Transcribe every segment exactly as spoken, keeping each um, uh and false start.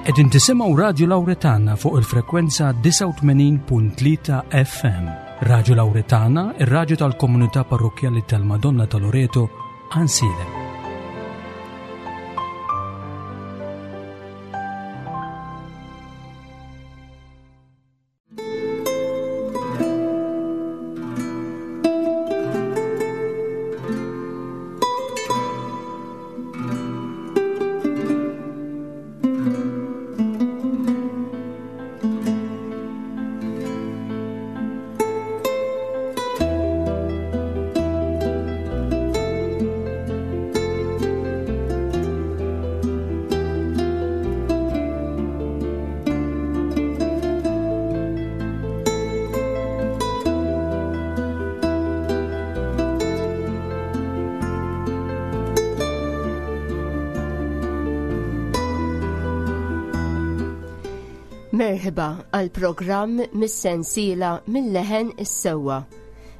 Qegħdin tisimgħu Radio Lauretana fuq il-frekwenza disgħa u tmenin punt tlieta F M. Radio Lauretana, ir-radju tal-komunità parrokkjali tal-Madonna ta' Loreto, Għajnsielem. Merħba għal programm mis-sensiela Minn Leħen is-Sewwa.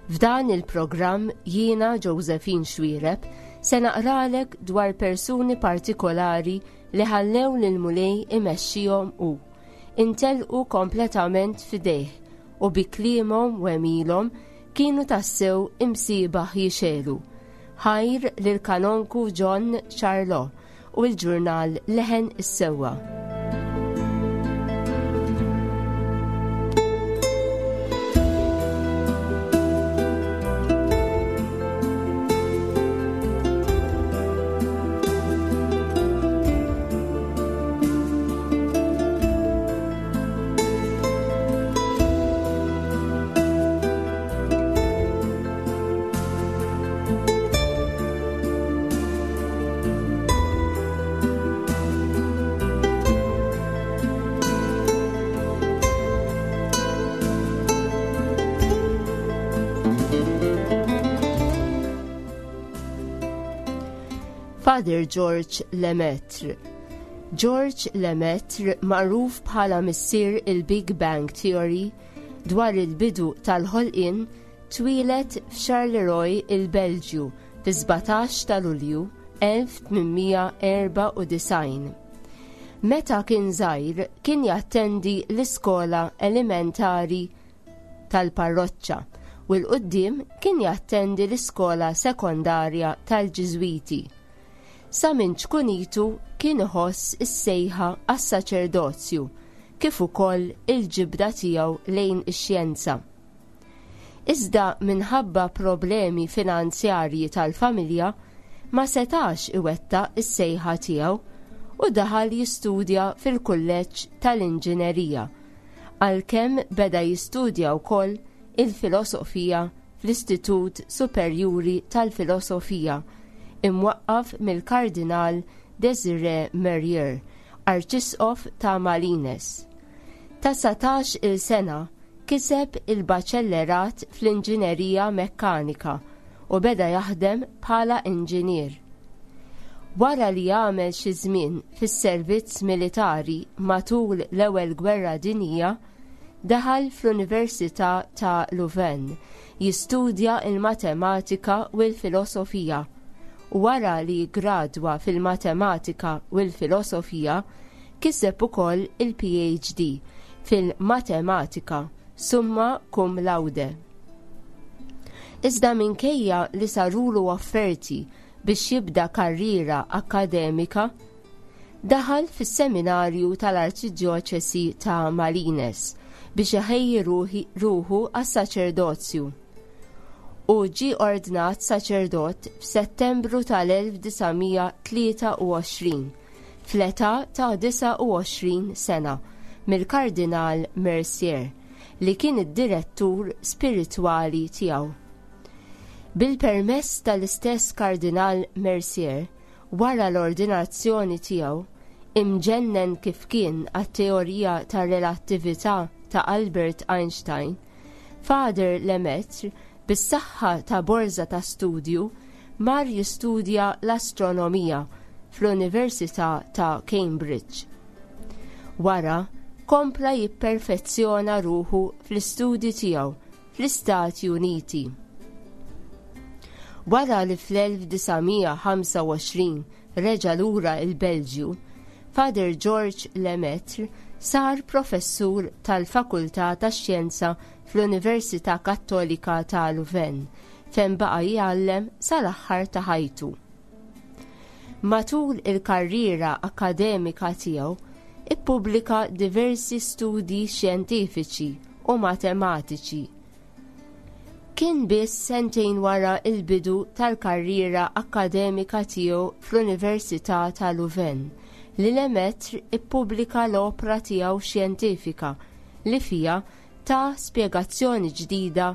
F'dan il-programm jiena, Josephine Xuereb, se naqralek dwar persuni partikolari li ħallew lil Mulej imexxihom u intelqu kompletament fidejh u bi kliemhom u għemilhom kienu tassew imsiebaħ jixegħlu. Ħajr lil Kanonku John Charlot u l-ġurnal Leħen is-Sewwa. Father George Lemaitre. George Lemaitre, magħruf bħala missier il-Big Bang Theory dwar il-bidu tal-ħolqien, twieled f'Charleroi, il-Belġju, fi sbatax ta' Lulju elf tmien mija erbgħa u disgħin. Meta kien żgħir kien jattendi l-iskola elementari tal-parroċċa u 'l quddiem kien jattendi l-iskola sekondarja tal-Ġiżwiti. Sa minn ċkunitu kien iħoss is-sejħa għas-saċerdozju kif ukoll il-ġibda tiegħu lejn ix-xjenza. Iżda minħabba problemi finanzjarji tal-familja ma setax iwettaq is-sejħa tiegħu u daħal jistudja fil-kulleġġ tal-inġinerija, għalkemm beda jistudja wkoll il-filosofija fl-Istitut Superjuri tal-Filosofija imwaqqaf mill-Kardinal Desiré Mercier, Arċisqof ta' Malines. Ta' dsatax il-sena kiseb il-baċellerat fl-inġinerija mekkanika u beda jaħdem bħala inġinier. Wara li għamel xi żmien fis-servizz militari matul l-Ewwel Gwerra Dinjija, daħal fl-Università ta' Louvain jistudja il-matematika u l-filosofija, u wara li gradwa fil-matematika u l-filosofija kiseb ukoll il-P H D fil-matematika summa cum laude. Iżda minkejja li sarulu offerti biex jibda karriera akademika, daħal fis-seminarju tal-Arċidjoċesi ta' Malines biex iħejji ruħu għas-saċerdozju u ġie ordnat saċerdot f'Settembru tal-elf disa' mija tlieta u għoxrin fl-età ta' disgħa u għoxrin sena mill-Kardinal Mercier, li kien id-direttur spiritwali tiegħu. Bil-permess tal-istess Kardinal Mercier, wara l-ordinazzjoni tiegħu, imġennen kif kien għat-teorija ta' relattività ta' Albert Einstein, Father Lemaitre, bis-saħħa ta' borza ta' studju, mar jistudja l-astronomija fl-Università ta' Cambridge. Wara, kompla jipperfezzjona ruħu fl-istudji tiegħu fl-Istati Uniti. Wara li fl-elf disa' mija ħamsa u għoxrin reġa' lura il-Belġju, Father George Lemaitre sar professur tal-Fakultà tax-Xjenza fl-Università Kattolika ta' Louvain, fejn baqa' jgħallem sal-aħħar ta' ħajtu. Matul il-karriera akkademika tiegħu ippubblika diversi studji xjentifiċi u matematiċi. Kien biss sentejn wara il-bidu tal-karriera akkademika tiegħu fl-Università ta' Louvain li Lemaitre ippubblika l-opra tiegħu xjentifika li fiha ta spjegazzjoni ġdida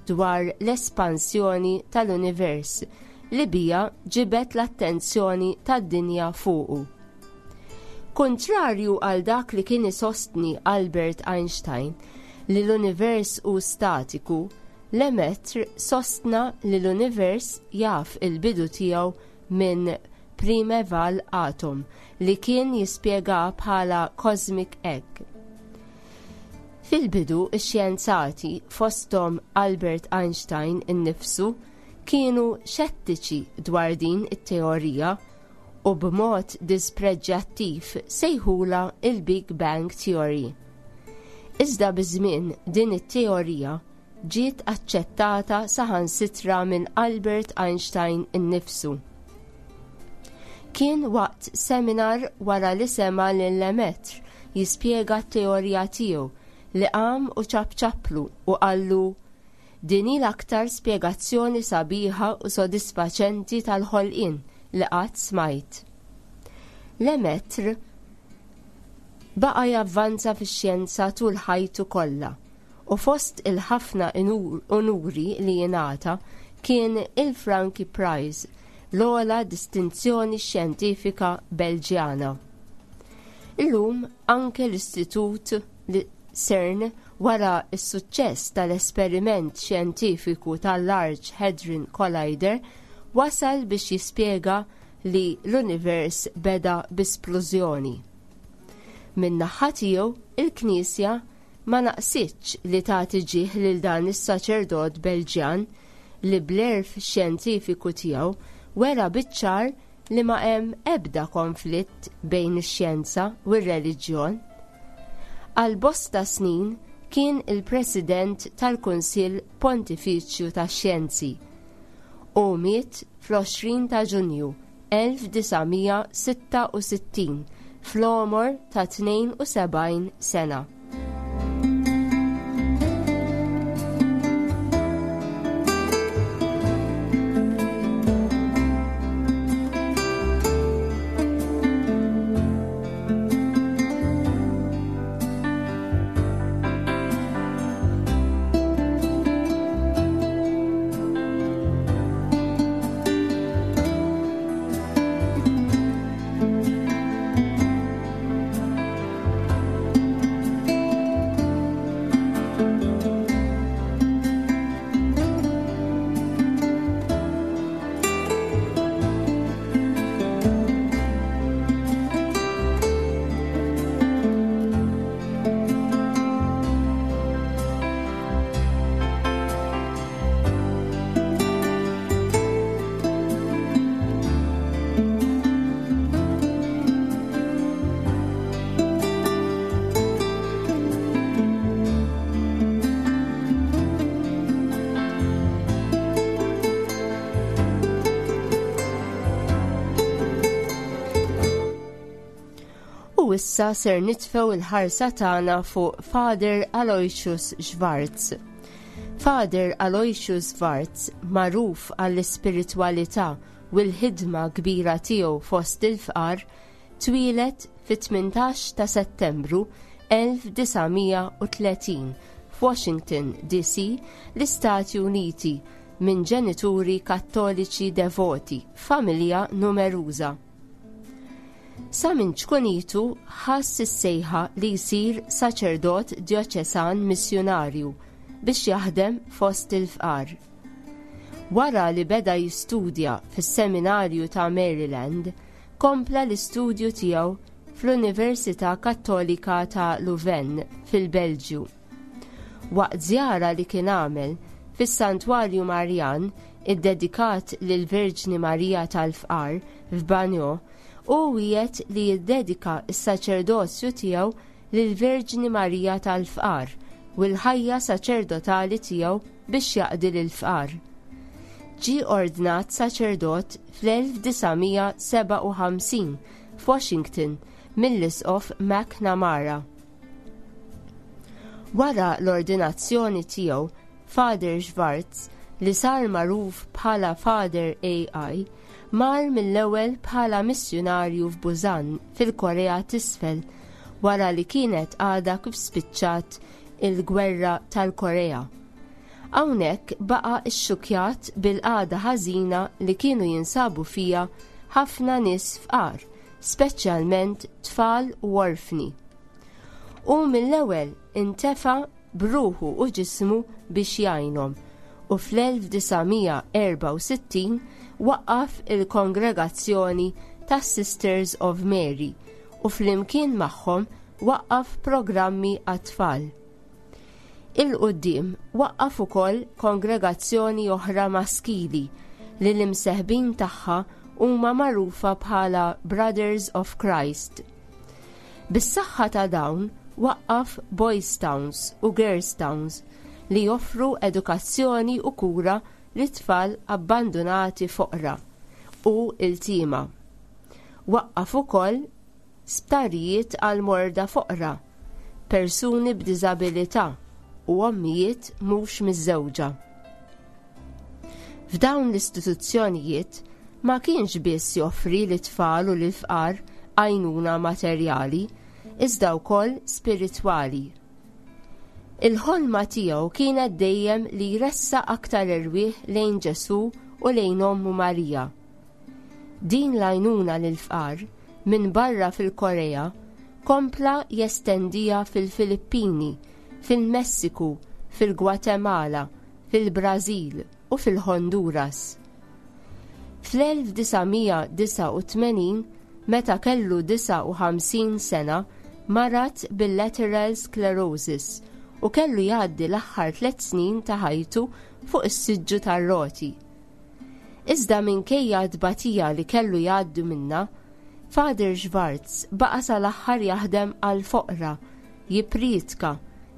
dwar l-espansjoni tal-univers li bija ġibet l-attenzjoni tad-dinja fuqu. Kontrarju għal dak li kien isostni Albert Einstein li l-univers hu statiku, Lemaitre sostna li l-univers jaf il-bidu tiegħu minn primeval atom li kien jispjega bħala cosmic egg. Fil-bidu ix-xjenzati fosthom Albert Einstein innifsu kienu xettiċi dwar din it-teorija u b'mod dispreġġattiv sejħula il-Big Bang Theory. Iżda biż-żmien din it-teorija ġiet aċċettata saħansitra minn Albert Einstein innifsu. Kien waqt seminar wara li sema lil Lemaitre jispjega t-teorija tiegħu li qam u ċapċaplu u qallu din hi l-aktar spjegazzjoni sabiħa u sodisfaċenti tal-ħolqien li qatt smajt. Lemaitre baqa' javvanza fix-xjenza tul ħajtu kollha u fost il-ħafna unuri li jingħata kien il-Franki Prize, l-ogħla distinzjoni xjentifika Belġjana. Illum anke l-Istitut CERN wara s-suċċess tal-esperiment xjentifiku tal-Large Hadron Collider wasal biex jispjega li l-univers beda b'isplużjoni. Min-naħa tiegħu il-Knisja ma naqsitx li tagħti ġieħ lil dan is-saċerdot Belġjan li bl-għerf xjentifiku tiegħu wera biċ-ċar li ma hemm ebda konflitt bejn ix-xjenza u r-reliġjon. Għal bosta snin kien il-President tal-Kunsill Pontifiċju tax-Xjenzi u miet fl-għoxrin ta' Ġunju elf disa' mija sitta u sittin fl-għomor ta' tnejn u sebgħin sena. U issa ser nitfew il-ħarsa tagħna fuq Father Aloysius Schwarz. Father Aloysius Schwarz, magħruf għall-ispiritwalità u l-ħidma kbira tiegħu fost il-fqar, twieled fit-tmintax ta' Settembru elf disa' mija u tletin f'Washington D C, l-Istati Uniti, minn ġenituri kattoliċi devoti, familja numeruża. Sa minn ċkunitu ħass is-sejħa li jsir saċerdot djoċesan missjunarju biex jaħdem fost il-fqar. Wara li beda jistudja fis-seminarju ta' Maryland, kompla l-istudju tiegħu fl-Università Kattolika ta' Louvain fil-Belġju. Waqt żjara li kien għamel fis-Santwarju Marjan iddedikat lill-Verġni Marija tal-Fqar f'Bagneux, Hu wiegħed li jiddedika s-saċerdozju tiegħu lill-Verġni Marija tal-Fqar u l-ħajja saċerdotali tiegħu biex jaqdi lill-fqar. Ġie ordnat saċerdot fl-elf disa' mija sebgħa u ħamsin f'Washington mill-Isqof McNamara. Wara l-ordinazzjoni tiegħu, Father Schwartz, li sar magħruf bħala Father A I, mar mill-ewwel bħala missjunarju f'Busan fil-Korea t'Isfel wara li kienet għadha kif spiċċat il-Gwerra tal-Korea. Hawnhekk baqa' xxukjat bil-qagħda ħażina li kienu jinsabu fija ħafna nies fqar, speċjalment tfal u orfni. U mill-ewwel intefa' bruħu u ġismu biex jgħinhom u fl-elf disa' mija erba' u sittin waqqaf il-Kongregazzjoni tas-Sisters of Mary u flimkien magħhom waqqaf programmi għat-tfal. Il-quddiem waqqaf ukoll kongregazzjoni oħra maskili li l-imseħbin tagħha huma magħrufa bħala Brothers of Christ. Bis-saħħa ta' dawn waqqaf Boys Towns u Girls Towns li joffru edukazzjoni u kura lit-tfal abbandunati foqra u iltima. Waqqaf ukoll sptarijiet għal morda foqra, persuni b'diżabilità u ommijiet mhux miżżewġa. F'dawn l-istituzzjonijiet ma kienx biss joffri lit-tfal u lill-fqar għajnuna materjali, iżda wkoll spiritwali. Il-ħolma tiegħu kienet dejjem li jressaq aktar erwieħ lejn Ġesù u lejn Ommu Marija. Din l-għajnuna lill-fqar minn barra fil-Korea kompla jestendija fil-Filippini, fil-Messiku, fil-Gwatemala, fil-Brażil u fil-Honduras. Fl-elf disa' mija disa' u tmenin, meta kellu disa' u ħamsin sena, marad bil-lateral sclerosis u kellu jgħaddi l-aħħar tliet snin ta' ħajtu fuq is-siġġu tar-roti. Iżda minkejja t-tbatija li kellu jgħaddi minnha, Father Schwartz baqa' sal-aħħar jaħdem għall-foqra, jippriedka,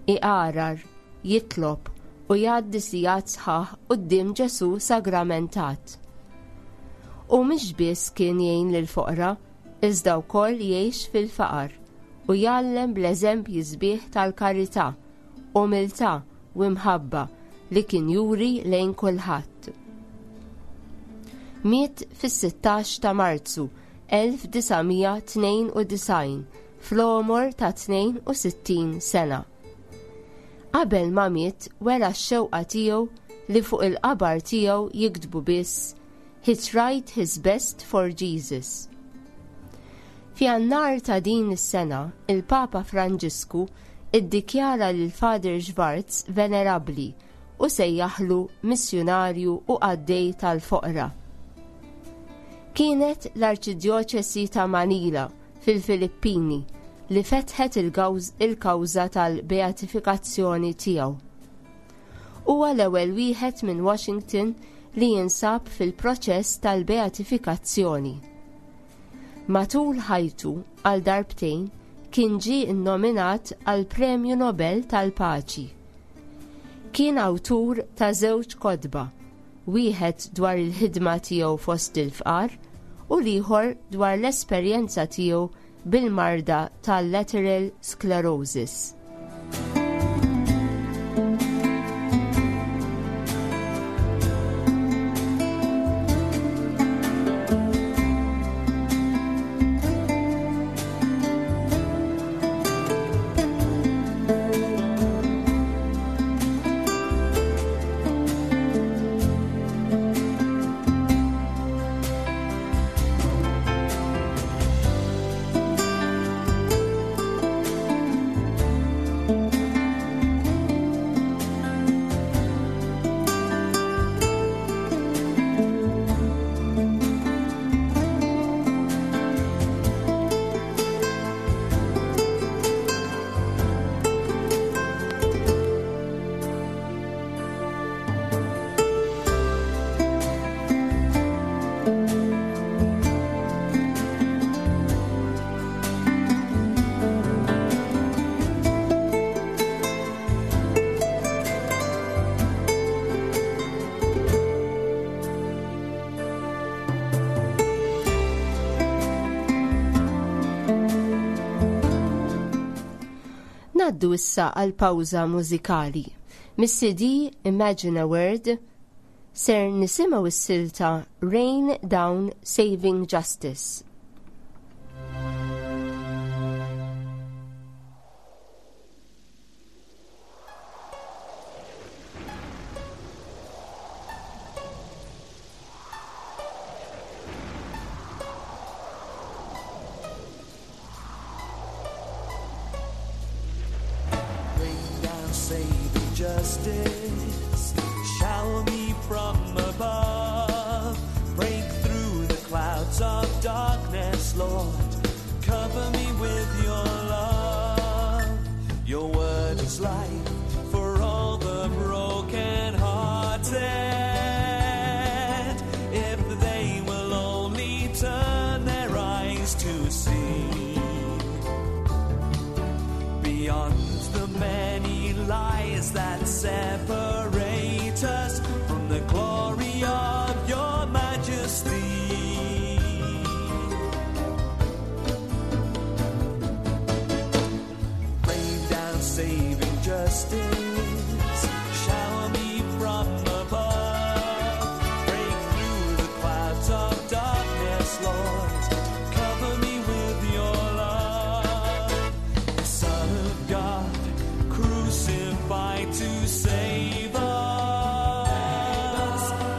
iqarar, jitlob u jgħaddi sigħat sħaħ quddiem Ġesù sagramentat. U mhix biss kien jgħin lill-foqra, iżda wkoll jgħix fil-faqar u jgħallem bl-eżempji sbieħ tal-karità, umiltà u imħabba li kien juri lejn kulħadd. Miet fis-sittax ta' Marzu elf disa' mija tnejn u disgħin fl-għomor ta' tnejn u sittin sena. Qabel ma miet wera x-xewqa tiegħu li fuq il-qabar tiegħu jiktbu biss He tried his best for Jesus. F'Jannar ta' din is-sena, il-Papa Franġisku iddikjara lil Father Schwartz venerabbli u sejjaħlu missjunarju u qaddej tal-foqra. Kienet l-Arċidjoċesi ta' Manila fil-Filippini li fetħet il-gawż-, il-kawża tal-beatifikazzjoni tiegħu. Huwa l-ewwel wieħed minn Washington li jinsab fil-proċess tal-beatifikazzjoni. Matul ħajtu għal darbtejn kien ġie nnominat għal Premju Nobel tal-Paċi. Kien awtur ta' żewġ kotba, wieħed dwar il-ħidma tiegħu fost il-fqar u l-ieħor dwar l-esperjenza tiegħu bil-marda tal-lateral sclerosis. Ngħaddu issa għal pawża mużikali. Mis-C D Imagine a Word ser nisimgħu s-silta Rain Down Saving Justice. Rain down saving justice, shower me from above. Break through the clouds of darkness, Lord. Cover me with your love. Your word is life for all the broken hearted. If they will only turn their eyes to see beyond the many lies that separate us from the glory of your majesty. Rain down saving justice, shower me from above. Break through the clouds of darkness, Lord. Cover me with your love. The Son of God, crucified to save us.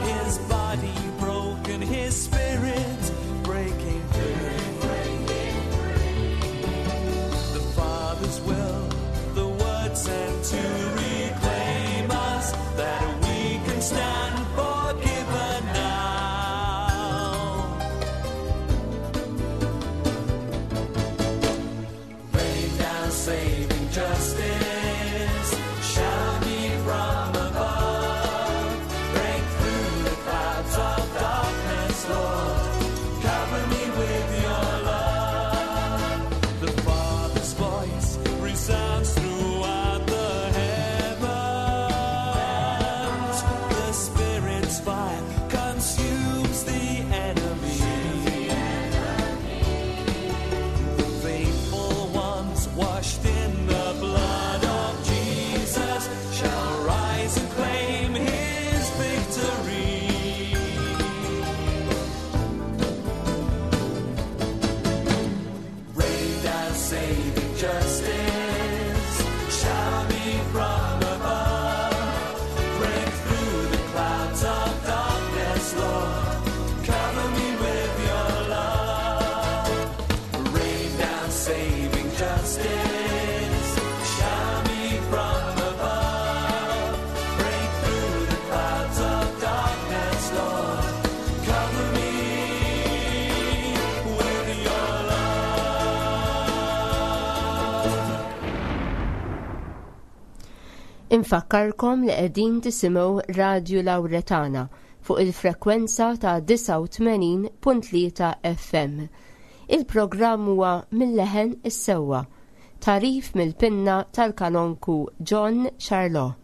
His body broken, his spirit breaking free. The Father's will, the word sent to reclaim us, that we can stand forgiven now. Rain down saving justice, shower me from above. Break through the clouds of darkness, Lord. Cover me with your love. The Father's voice resounds throughout the heavens. The Spirit's fire consumes the enemy. The faithful ones washed in the blood of Jesus shall rise and claim his victory. Rain down saving justice, shower me from above. Break through the clouds of darkness, Lord. Cover me with your love. Rain down saving justice, shower me from above. Break through the clouds of darkness, Lord. Cover me with your love. Infakkarkom li qegħdin tisimgħu Radju Lawretana fuq il-frekwenza ta' disgħa u tmenin punt tlieta F M. Il-programm huwa Mil-Leħen is-Sewwa, tagħrif mill-pinna tal-kanonku John Charlot.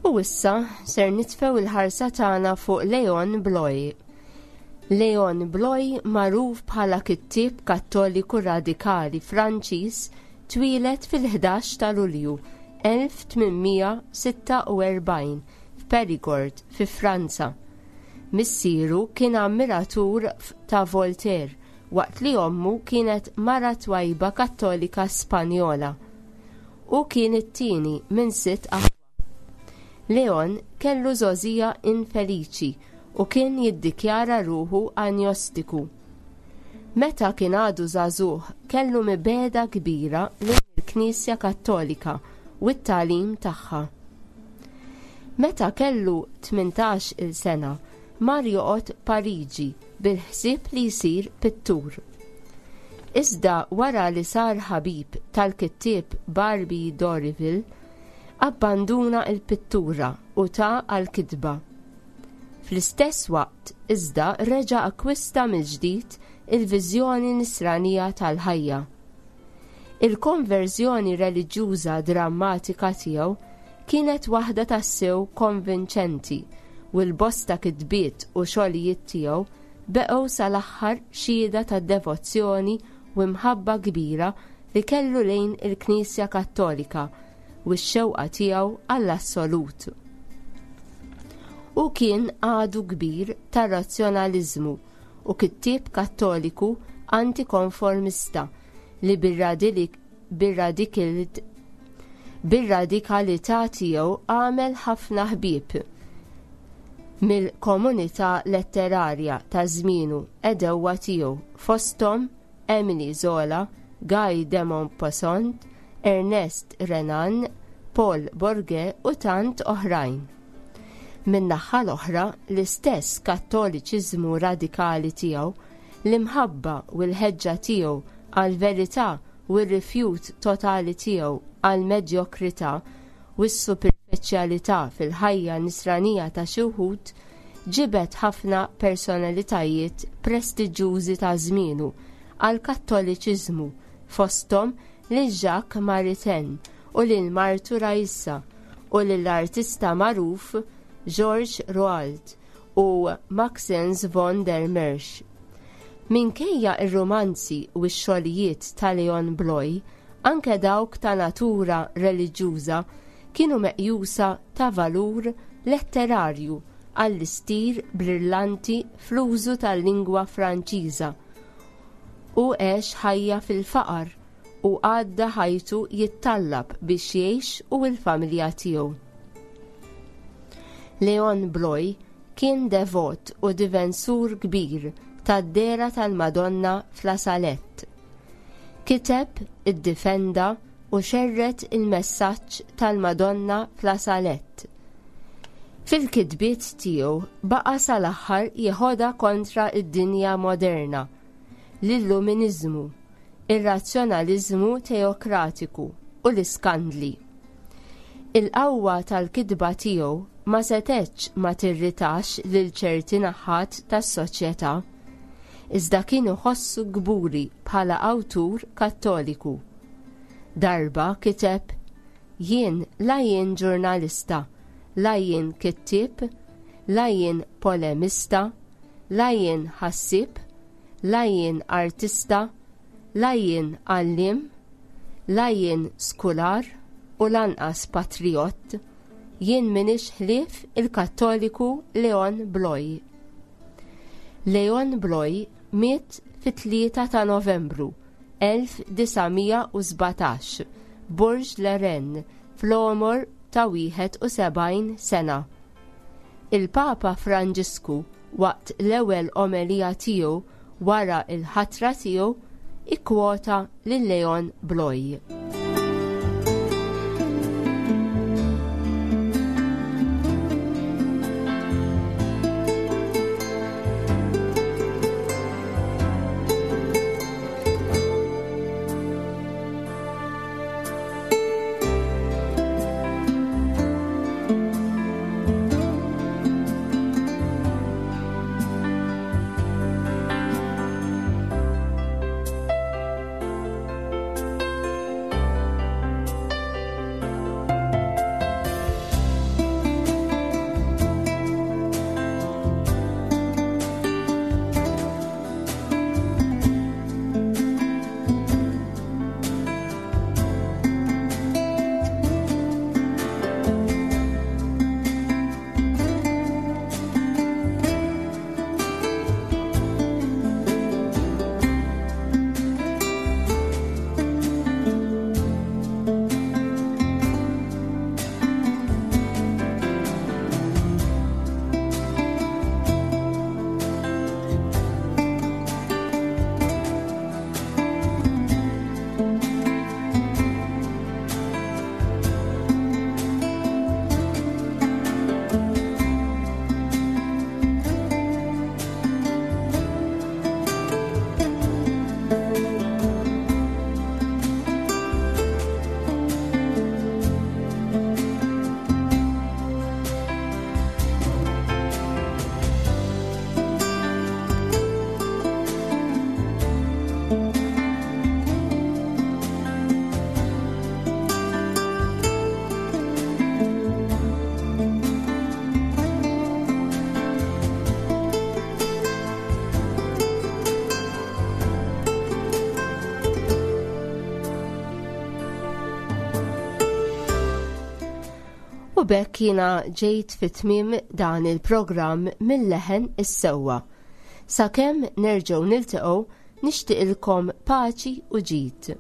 U issa ser nitfew il-ħarsa tagħna fuq Leon Bloy. Leon Bloy, magħruf bħala kittieb Kattoliku radikali Franċiż, twieled fil-ħdax ta' Lulju elf tmien mija sitta u erbgħin f'Perigord fi Franza. Missieru kien ammiratur ta' Voltaire, waqt li ommu kienet mara twajba Kattolika Spanjola. U kien it-tieni minn sitt aħwa. Leon kellu żgħożija infeliċi u kien jiddikjara ruħu agnostiku. Meta kien għadu żagħżugħ kellu mibegħda kbira lejn il-Knisja Kattolika u t-tagħlim tagħha. Meta kellu tmintax-il sena, mar joqgħod Pariġi bil-ħsieb li jsir pittur. Iżda wara li sar ħabib tal-kittieb Barbey d'Aurevilly, abbanduna l-pittura u ta għall-kitba. Fl-istess waqt iżda reġa' akkwista mill-ġdid il-viżjoni nisranija tal-ħajja. Il-konverżjoni reliġjuża drammatika tiegħu kienet waħda tassew konvinċenti u l-bosta kitbiet u xogħlijiet tiegħu beqgħu sal-aħħar xhieda ta' devozzjoni u mħabba kbira li kellu lejn il-Knisja Kattolika u x-xewqa tiegħu għall-assolut. U kien għadu kbir tar-razzjonaliżmu u kittieb kattoliku antikonformista li bir-radikalità tiegħu għamel ħafna ħbieb mill-komunità letterarja ta' żmienu għedewwa tiegħu, fosthom Emile Zola, Guy de Maupassant, Ernest Renan, Paul Bourget u tant oħrajn. Min-naħa l-oħra, l-istess kattoliċiżmu radikali tiegħu, l-imħabba u l-ħeġġa tiegħu għall-verità u r-rifjut totali tiegħu għall-medjokrità u s-superfiċjalità fil-ħajja nisranija ta' xi wħud ġibed ħafna personalitajiet prestiġjużi ta' żmienu għall-kattoliċiżmu, fosthom lil Jacques Maritain u lil martu Raissa u lill-artista magħruf Georges Roualt u Maxence von der Mersch. Minkejja ir-romanzi u x-xogħlijiet ta' Leon Bloy, anke dawk ta' natura reliġjuża kienu meqjusa ta' valur letterarju għall-istil brillanti fl-użu tal-lingwa Franċiża. U għex ħajja fil-faqar u għadda ħajtu jittallab biex jgħix u l-familja tiegħu. Leon Bloy kien devot u difensur kbir tad-dehra tal-Madonna f'La Salette. Kiteb, iddifenda u xerred il-messaġġ tal-Madonna f'La Salette. Fil-kitbiet tiegħu baqa' sal-aħħar jeħodha kontra id-dinja moderna, l-illuminizmu, ir-razzjonaliżmu teokratiku u l-iskandli. Il-qawwa tal-kitba tiegħu ma setgħetx ma tirritax lil ċerti naħat tas-soċjetà, iżda kien iħossu kburi bħala awtur kattoliku. Darba kiteb: Jien la jien ġurnalista, la jien kittieb, la jien polemista, la jien ħassieb, la jien artista, la jien għalliem, la jien skular u lanqas patriot, jien minix ħlief il-Kattoliku Leon Bloy. Leon Bloy miet fit-tlieta ta' Novembru elf disa' mija u sbatax Bourg-la-Reine fl-għomor ta' wieħed u sebgħin sena. Il-Papa Franġisku waqt l-ewwel omelija tiegħu wara l-ħatra tiegħu ikkwota lil Leon Bloy. B'hekk jiena ġejt fi tmiem dan il-programm Mil-Leħen is-Sewwa. Sakemm nerġgħu niltaqgħu, nixtieqilkom paċi u ġid.